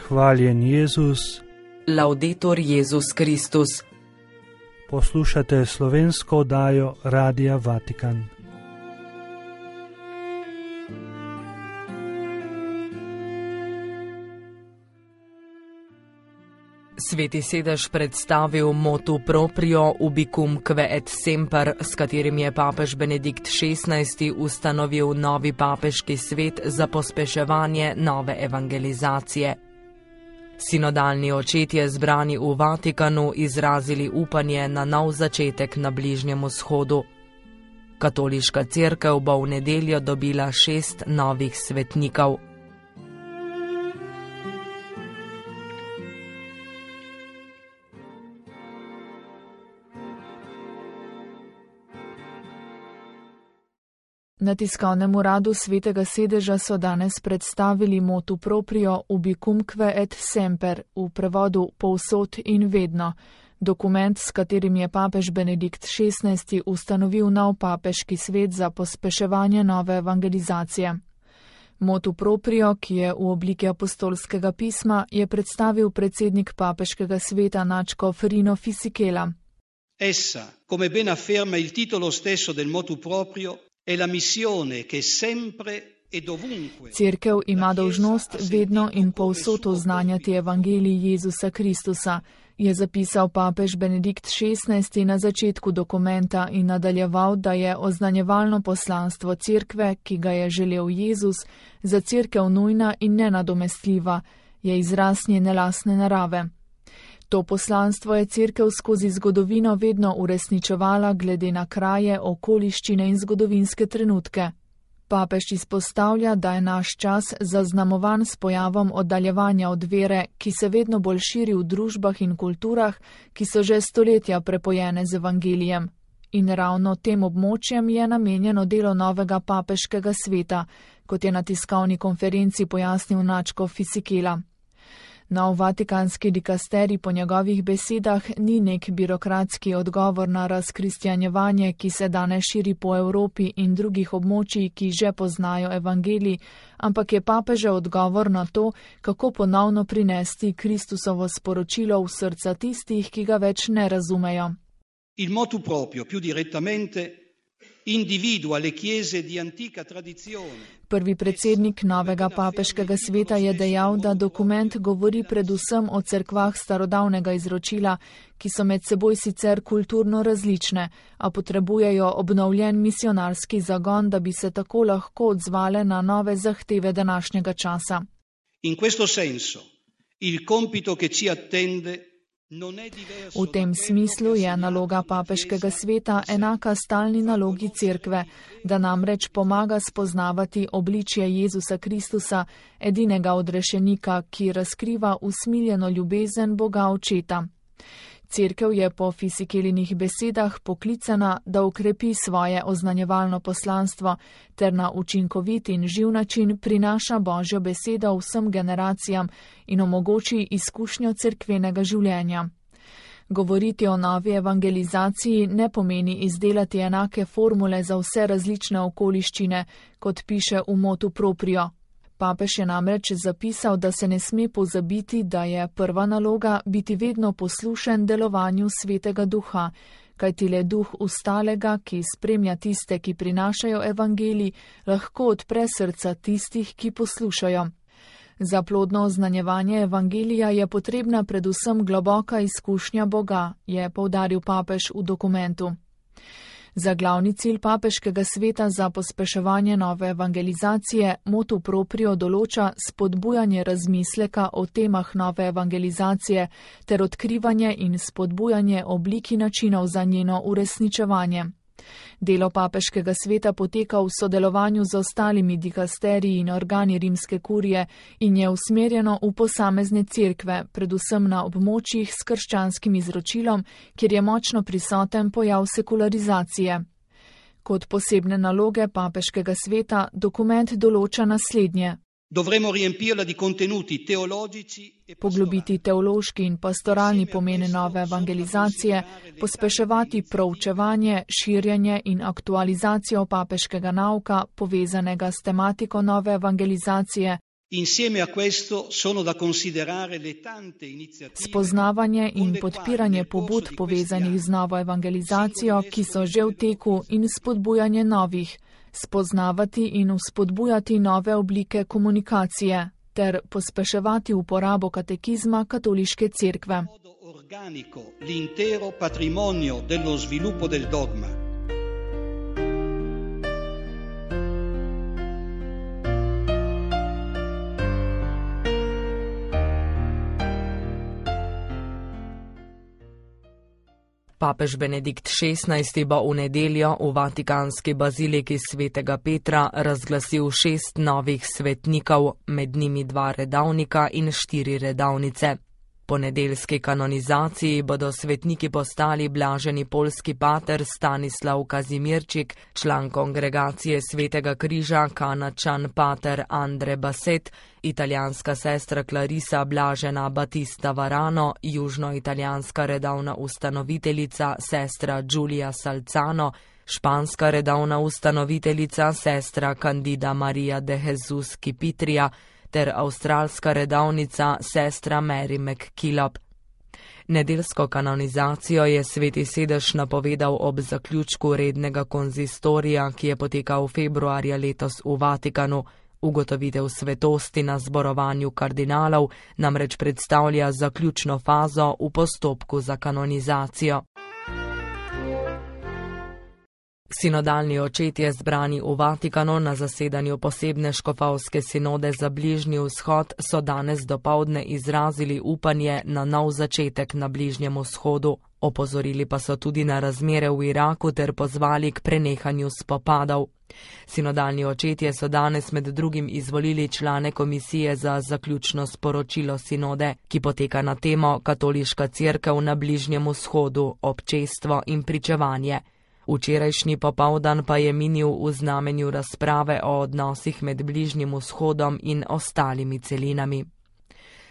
Hvaljen Jezus. Laudetur Jezus Kristus. Poslušate slovensko oddajo Radia Vatikan. Sveti sedež predstavil motu proprio ubicumque et semper, s katerim je papež Benedikt XVI ustanovil novi papeški svet za pospeševanje nove evangelizacije. Sinodalni očetje zbrani v Vatikanu izrazili upanje na nov začetek na Bližnjem vzhodu. Katoliška cerkev bo v nedeljo dobila 6 novih svetnikov. Na tiskovnem uradu Svetega sedeža so danes predstavili motu proprio ubicumque et semper, v prevodu povsod in vedno, dokument, s katerim je papež Benedikt XVI ustanovil nov papeški svet za pospeševanje nove evangelizacije. Motu proprio, ki je v obliki apostolskega pisma, je predstavil predsednik papeškega sveta nadškof Rino Fisichella. Essa, come ben afferma il titolo stesso del motu proprio, è la missione che sempre e dovunque. Cerkev ima dolžnost vedno in povsod oznanjati evangelij Jezusa Kristusa, je zapisal papež Benedikt XVI na začetku dokumenta in nadaljeval, da je oznanjevalno poslanstvo cerkve, ki ga je želel Jezus, za cerkev nujna in nenadomestljiva, je izraz njene lastne narave. To poslanstvo je cerkev skozi zgodovino vedno uresničevala glede na kraje, okoliščine in zgodovinske trenutke. Papež izpostavlja, da je naš čas zaznamovan s pojavom oddaljevanja od vere, ki se vedno bolj širi v družbah in kulturah, ki so že stoletja prepojene z evangelijem. In ravno tem območjem je namenjeno delo novega papeškega sveta, kot je na tiskovni konferenci pojasnil nadškof Fisichella. Nov vatikanski dikasterij po njegovih besedah ni nek birokratski odgovor na razkristjanjevanje, ki se danes širi po Evropi in drugih območjih, ki že poznajo evangelij, ampak je papežev odgovor na to, kako ponovno prinesti Kristusovo sporočilo v srca tistih, ki ga več ne razumejo. Il motu proprio, più direttamente, individua le chiese di antica tradizione. Prvi predsednik novega papeškega sveta je dejal, da dokument govori predvsem o cerkvah starodavnega izročila, ki so med seboj sicer kulturno različne, a potrebujejo obnovljen misionarski zagon, da bi se tako lahko odzvale na nove zahteve današnjega časa. In questo senso, il compito che ci attende. V tem smislu je naloga papeškega sveta enaka stalni nalogi cerkve, da namreč pomaga spoznavati obličje Jezusa Kristusa, edinega odrešenika, ki razkriva usmiljeno ljubezen Boga Očeta. Cerkev je po Fisikelinih besedah poklicana, da ukrepi svoje oznanjevalno poslanstvo ter na učinkovit in živ način prinaša Božjo besedo vsem generacijam in omogoči izkušnjo cerkvenega življenja. Govoriti o novi evangelizaciji ne pomeni izdelati enake formule za vse različne okoliščine, kot piše v motu proprio. Papež je namreč zapisal, da se ne sme pozabiti, da je prva naloga biti vedno poslušen delovanju Svetega Duha, kajti le duh ustalega, ki spremlja tiste, ki prinašajo evangelij, lahko odpre srca tistih, ki poslušajo. Za plodno oznanjevanje evangelija je potrebna predvsem globoka izkušnja Boga, je poudaril papež v dokumentu. Za glavni cilj papeškega sveta za pospeševanje nove evangelizacije motu proprio določa spodbujanje razmisleka o temah nove evangelizacije ter odkrivanje in spodbujanje oblik in načinov za njeno uresničevanje. Delo papeškega sveta poteka v sodelovanju z ostalimi dikasteriji in organi rimske kurije in je usmerjeno v posamezne cerkve, predvsem na območjih s krščanskim izročilom, kjer je močno prisoten pojav sekularizacije. Kot posebne naloge papeškega sveta dokument določa naslednje. Dovremo riempirla di contenuti teologici e poglobiti teološki in pastoralni pomen nove evangelizacije, pospeševati proučevanje, širjenje in aktualizacijo papeškega nauka, povezanega s tematiko nove evangelizacije, Insieme a questo sono da considerare le tante iniziative. Spoznavanje in podpiranje pobud povezanih z novo evangelizacijo, ki so že v teku, in spodbujanje novih. Spoznavati in vzpodbujati nove oblike komunikacije ter pospeševati uporabo katekizma katoliške cerkve. Organico l'intero patrimonio dello sviluppo del dogma. Papež Benedikt XVI bo v nedeljo v vatikanski baziliki svetega Petra razglasil 6 novih svetnikov, med njimi 2 redavnika in 4 redavnice. Po nedeljski kanonizaciji bodo svetniki postali blaženi poljski pater Stanislav Kazimirčik, član kongregacije Svetega križa Kanačan pater Andre Baset, italijanska sestra Clarisa Blažena Batista Varano, južnoitalijanska redavna ustanoviteljica sestra Giulia Salzano, španska redavna ustanoviteljica sestra Candida Maria de Jesus Kipitria, ter avstralska redavnica sestra Mary McKillop. Nedeljsko kanonizacijo je Sveti sedež napovedal ob zaključku rednega konzistorija, ki je potekal februarja letos v Vatikanu. Ugotovitev svetosti na zborovanju kardinalov namreč predstavlja zaključno fazo v postopku za kanonizacijo. Sinodalni očetje zbrani v Vatikanu na zasedanju posebne škofovske sinode za Bližnji vzhod so danes dopoldne izrazili upanje na nov začetek na Bližnjem vzhodu. Opozorili pa so tudi na razmere v Iraku ter pozvali k prenehanju spopadov. Sinodalni očetje so danes med drugim izvolili člane komisije za zaključno sporočilo sinode, ki poteka na temo Katoliška cerkev na Bližnjem vzhodu, občestvo in pričevanje. Včerajšnji popoldan pa je minil v znamenju razprave o odnosih med Bližnjim vzhodom in ostalimi celinami.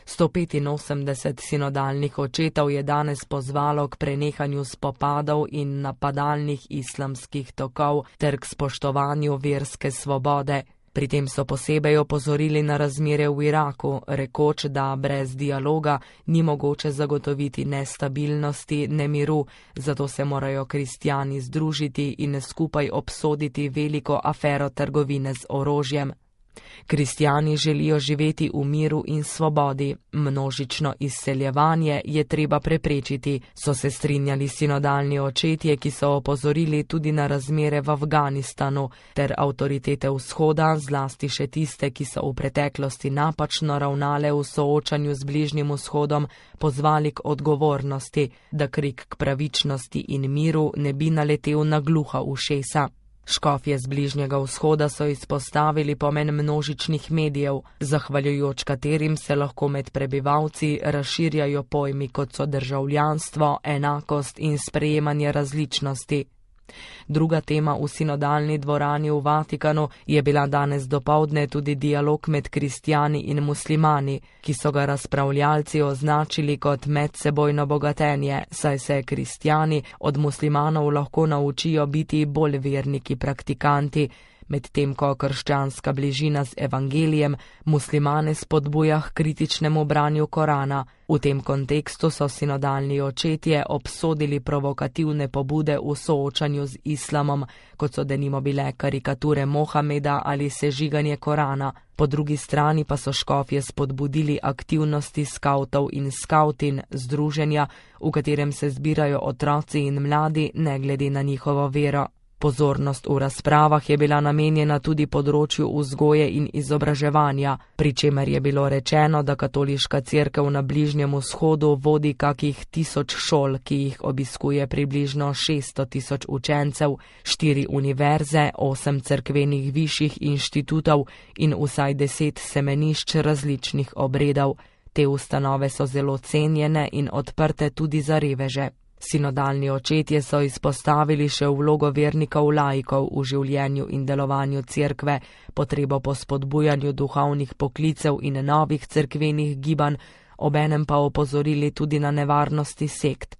185 sinodalnih očetov je danes pozvalo k prenehanju spopadov in napadalnih islamskih tokov ter k spoštovanju verske svobode. Pri tem so posebej opozorili na razmere v Iraku, rekoč, da brez dialoga ni mogoče zagotoviti ne stabilnosti, ne miru, zato se morajo kristjani združiti in skupaj obsoditi veliko afero trgovine z orožjem. Kristjani želijo živeti v miru in svobodi, množično izseljevanje je treba preprečiti, so se strinjali sinodalni očetje, ki so opozorili tudi na razmere v Afganistanu ter avtoritete vzhoda, zlasti še tiste, ki so v preteklosti napačno ravnale v soočanju z Bližnjim vzhodom, pozvali k odgovornosti, da krik k pravičnosti in miru ne bi naletel na gluha ušesa. Škofje z Bližnjega vzhoda so izpostavili pomen množičnih medijev, zahvaljujoč katerim se lahko med prebivalci razširjajo pojmi, kot so državljanstvo, enakost in sprejemanje različnosti. Druga tema v sinodalni dvorani v Vatikanu je bila danes dopoldne tudi dialog med kristjani in muslimani, ki so ga razpravljalci označili kot medsebojno bogatenje, saj se kristjani od muslimanov lahko naučijo biti bolj verniki praktikanti, medtem ko krščanska bližina z evangelijem muslimane spodbuja k kritičnemu branju Korana. V tem kontekstu so sinodalni očetje obsodili provokativne pobude v soočanju z islamom, kot so denimo bile karikature Mohameda ali sežiganje Korana. Po drugi strani pa so škofje spodbudili aktivnosti skavtov in skavtin, združenja, v katerem se zbirajo otroci in mladi, ne glede na njihovo vero. Pozornost v razpravah je bila namenjena tudi področju vzgoje in izobraževanja, pri čemer je bilo rečeno, da katoliška cerkev na Bližnjem vzhodu vodi kakih 1000 šol, ki jih obiskuje približno 600 000 učencev, 4 univerze, 8 cerkvenih višjih inštitutov in vsaj 10 semenišč različnih obredov. Te ustanove so zelo cenjene in odprte tudi za reveže. Sinodalni očetje so izpostavili še vlogo vernikov laikov v življenju in delovanju cerkve, potrebo po spodbujanju duhovnih poklicev in novih cerkvenih gibanj, obenem pa opozorili tudi na nevarnosti sekt.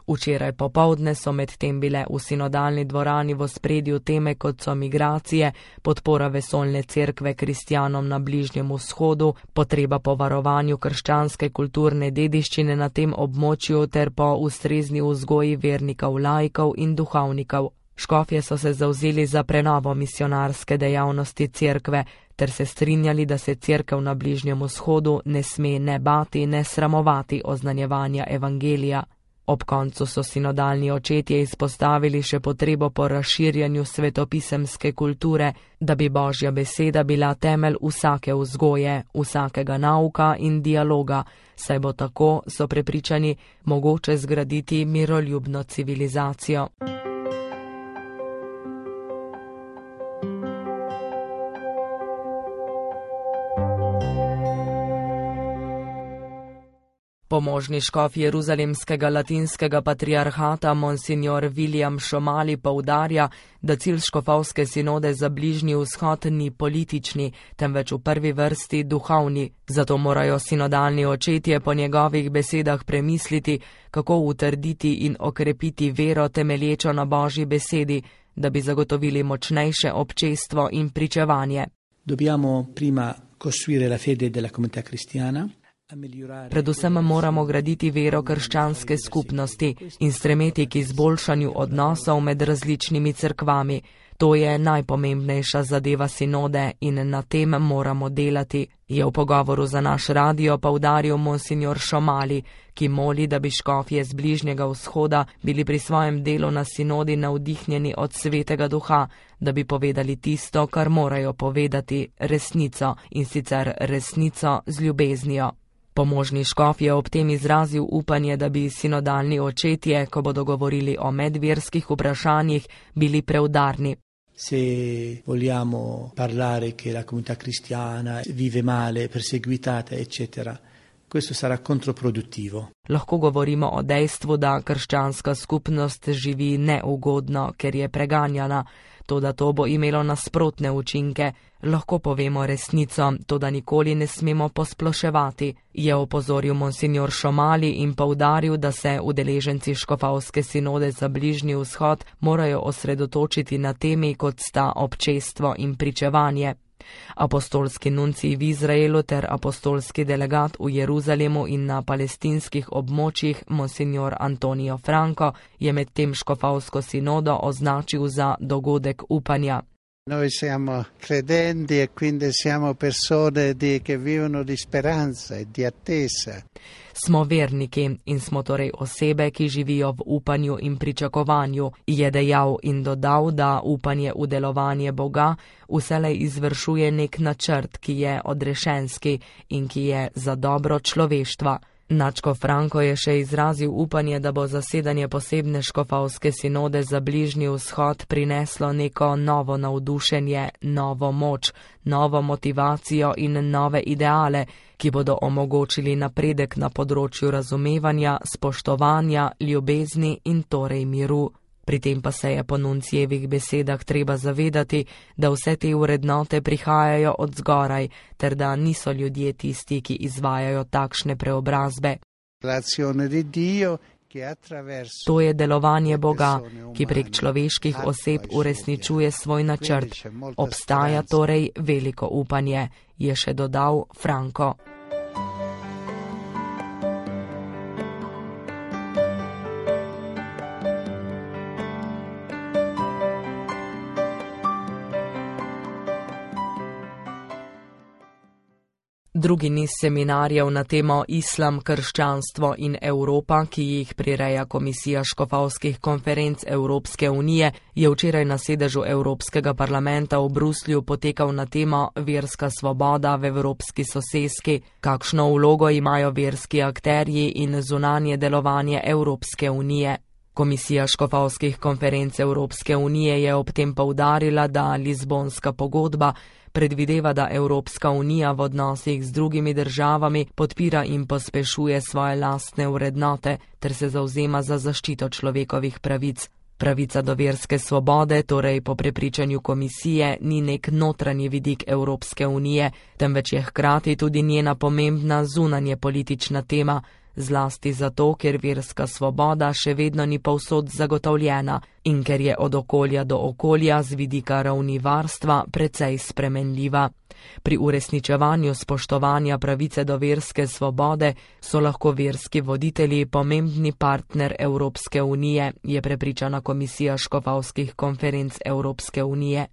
Včeraj popovdne so medtem bile v sinodalni dvorani v ospredju teme, kot so migracije, podpora vesoljne cerkve kristjanom na Bližnjem vzhodu, potreba po varovanju krščanske kulturne dediščine na tem območju ter po ustrezni vzgoji vernikov, laikov in duhovnikov. Škofje so se zavzeli za prenovo misionarske dejavnosti cerkve ter se strinjali, da se cerkev na Bližnjem vzhodu ne sme ne bati, ne sramovati oznanjevanja evangelija. Ob koncu so sinodalni očetje izpostavili še potrebo po razširjanju svetopisemske kulture, da bi Božja beseda bila temelj vsake vzgoje, vsakega nauka in dialoga, saj bo tako, so prepričani, mogoče zgraditi miroljubno civilizacijo. Pomožni škof jeruzalemskega latinskega patriarhata monsignor William Šomali poudarja, da cilj škofovske sinode za Bližnji vzhod ni politični, temveč v prvi vrsti duhovni. Zato morajo sinodalni očetje po njegovih besedah premisliti, kako utrditi in okrepiti vero temelječo na Božji besedi, da bi zagotovili močnejše občestvo in pričevanje. Dobbiamo prima costruire la fede della comunità cristiana. Predvsem moramo graditi vero krščanske skupnosti in stremeti k izboljšanju odnosov med različnimi cerkvami. To je najpomembnejša zadeva sinode in na tem moramo delati, je v pogovoru za naš radio poudaril monsignor Šomali, ki moli, da bi škofje z Bližnjega vzhoda bili pri svojem delu na sinodi navdihnjeni od Svetega Duha, da bi povedali tisto, kar morajo povedati, resnico, in sicer resnico z ljubeznijo. Pomožni škof je ob tem izrazil upanje, da bi sinodalni očetje, ko bodo govorili o medverskih vprašanjih, bili preudarni. Se vogliamo parlare che la comunità cristiana vive male, perseguitata, eccetera, questo sarà controproductivo. Lahko govorimo o dejstvu, da krščanska skupnost živi neugodno, ker je preganjana, toda to bo imelo nasprotne učinke. Lahko povemo resnico, toda nikoli ne smemo posploševati, je opozoril monsignor Šomali in poudaril, da se udeleženci škofovske sinode za Bližnji vzhod morajo osredotočiti na temi, kot sta občestvo in pričevanje. Apostolski nuncij v Izraelu ter apostolski delegat v Jeruzalemu in na palestinskih območjih monsignor Antonio Franco je med tem škofovsko sinodo označil za dogodek upanja. Noi siamo credenti e quindi siamo persone che vivono di speranza e di attesa. Smo verniki in smo torej osebe, ki živijo v upanju in pričakovanju, je dejal in dodal, da upanje v delovanje Boga vselej izvršuje nek načrt, ki je odrešenski in ki je za dobro človeštva. Nadškof Franco je še izrazil upanje, da bo zasedanje posebne škofovske sinode za Bližnji vzhod prineslo neko novo navdušenje, novo moč, novo motivacijo in nove ideale, ki bodo omogočili napredek na področju razumevanja, spoštovanja, ljubezni in torej miru. Pri tem pa se je po nuncijevih besedah treba zavedati, da vse te vrednote prihajajo od zgoraj, ter da niso ljudje tisti, ki izvajajo takšne preobrazbe. To je delovanje Boga, ki prek človeških oseb uresničuje svoj načrt. Obstaja torej veliko upanje, je še dodal Franco. Drugi niz seminarjev na temo Islam, krščanstvo in Evropa, ki jih prireja Komisija škofovskih konferenc Evropske unije, je včeraj na sedežu Evropskega parlamenta v Bruslju potekal na temo Verska svoboda v evropski soseski, kakšno vlogo imajo verski akterji in zunanje delovanje Evropske unije. Komisija škofovskih konferenc Evropske unije je ob tem poudarila, da Lizbonska pogodba predvideva, da Evropska unija v odnosih z drugimi državami podpira in pospešuje svoje lastne vrednote ter se zavzema za zaščito človekovih pravic. Pravica do verske svobode, torej po prepričanju komisije, ni nek notranji vidik Evropske unije, temveč je hkrati tudi njena pomembna zunanje politična tema, zlasti zato, ker verska svoboda še vedno ni povsod zagotovljena in ker je od okolja do okolja z vidika ravni varstva precej spremenljiva. Pri uresničevanju spoštovanja pravice do verske svobode so lahko verski voditelji pomembni partner Evropske unije, je prepričana Komisija škofovskih konferenc Evropske unije.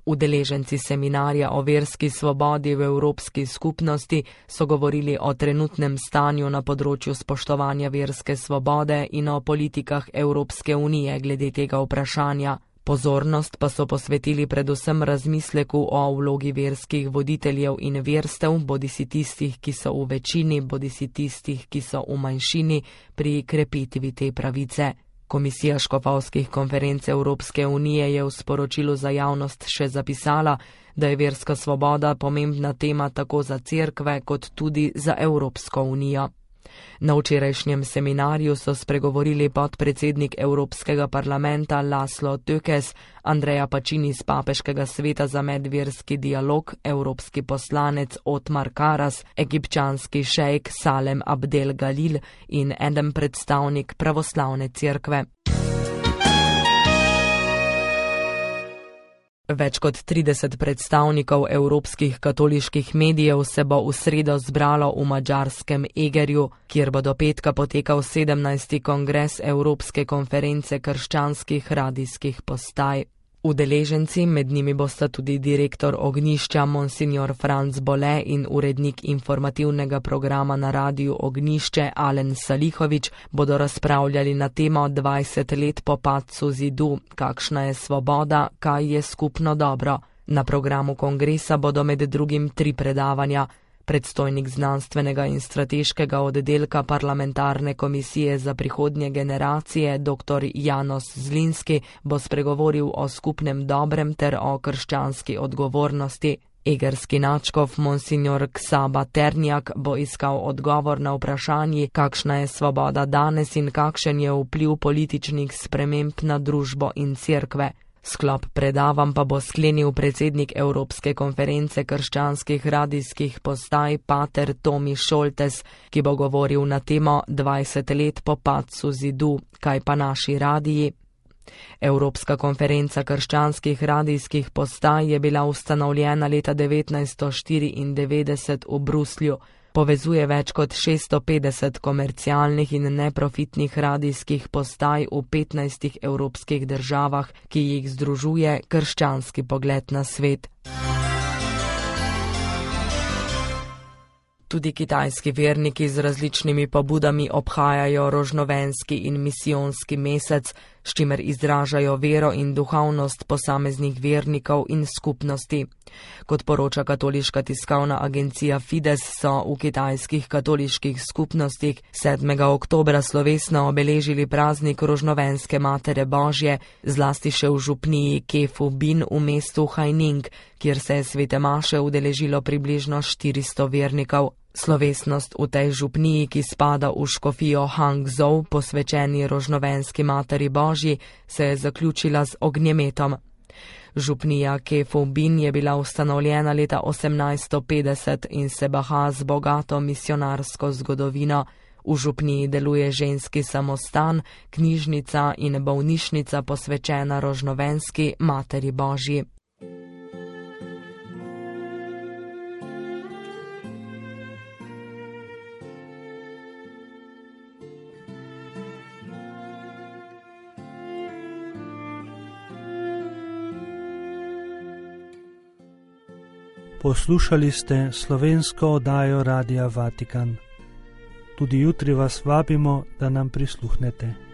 Udeleženci seminarja o verski svobodi v Evropski skupnosti so govorili o trenutnem stanju na področju spoštovanja verske svobode in o politikah Evropske unije glede tega vprašanja. Pozornost pa so posvetili predvsem razmisleku o vlogi verskih voditeljev in verstev, bodisi tistih, ki so v večini, bodisi tistih, ki so v manjšini, pri krepitvi te pravice. Komisija škofovskih konferenc Evropske unije je v sporočilu za javnost še zapisala, da je verska svoboda pomembna tema tako za cerkve kot tudi za Evropsko unijo. Na včerajšnjem seminarju so spregovorili podpredsednik Evropskega parlamenta Laszlo Tökes, Andrea Pacini z Papeškega sveta za medverski dialog, evropski poslanec Otmar Karas, egipčanski šejk Salem Abdel Galil in eden predstavnik pravoslavne cerkve. Več kot 30 predstavnikov evropskih katoliških medijev se bo v sredo zbralo v madžarskem Egerju, kjer bo do petka potekal 17. kongres Evropske konference krščanskih radijskih postaj. Udeleženci, med njimi bosta tudi direktor Ognjišča Monsignor Franc Bole in urednik informativnega programa na radiju Ognjišče Alen Salihovič, bodo razpravljali na temo 20 let po padcu zidu, kakšna je svoboda, kaj je skupno dobro. Na programu kongresa bodo med drugim 3 predavanja. Predstojnik znanstvenega in strateškega oddelka parlamentarne komisije za prihodnje generacije, dr. Janos Zlinski, bo spregovoril o skupnem dobrem ter o krščanski odgovornosti. Egerski nadškof Monsignor Ksaba Ternjak bo iskal odgovor na vprašanje, kakšna je svoboda danes in kakšen je vpliv političnih sprememb na družbo in cerkve. Sklop predavanj pa bo sklenil predsednik Evropske konference krščanskih radijskih postaj pater Tomi Šoltes, ki bo govoril na temo 20 let po padcu zidu, kaj pa naši radiji. Evropska konferenca krščanskih radijskih postaj je bila ustanovljena leta 1994 v Bruslju. Povezuje več kot 650 komercialnih in neprofitnih radijskih postaj v 15 evropskih državah, ki jih združuje krščanski pogled na svet. Tudi kitajski verniki z različnimi pobudami obhajajo rožnovenski in misijonski mesec, s čimer izražajo vero in duhovnost posameznih vernikov in skupnosti. Kot poroča katoliška tiskovna agencija Fides, so v kitajskih katoliških skupnostih 7. oktobra slovesno obeležili praznik rožnovenske Matere Božje, zlasti še v župniji Kefu Bin v mestu Haining, kjer se je svete maše udeležilo približno 400 vernikov. Slovesnost v tej župniji, ki spada v škofijo Hangzhou, posvečeni rožnovenski Materi Božji, se je zaključila z ognjemetom. Župnija Kefu Bin je bila ustanovljena leta 1850 in se baha z bogato misionarsko zgodovino. V župniji deluje ženski samostan, knjižnica in bolnišnica posvečena rožnovenski Materi Božji. Poslušali ste slovensko oddajo Radia Vatikan. Tudi jutri vas vabimo, da nam prisluhnete.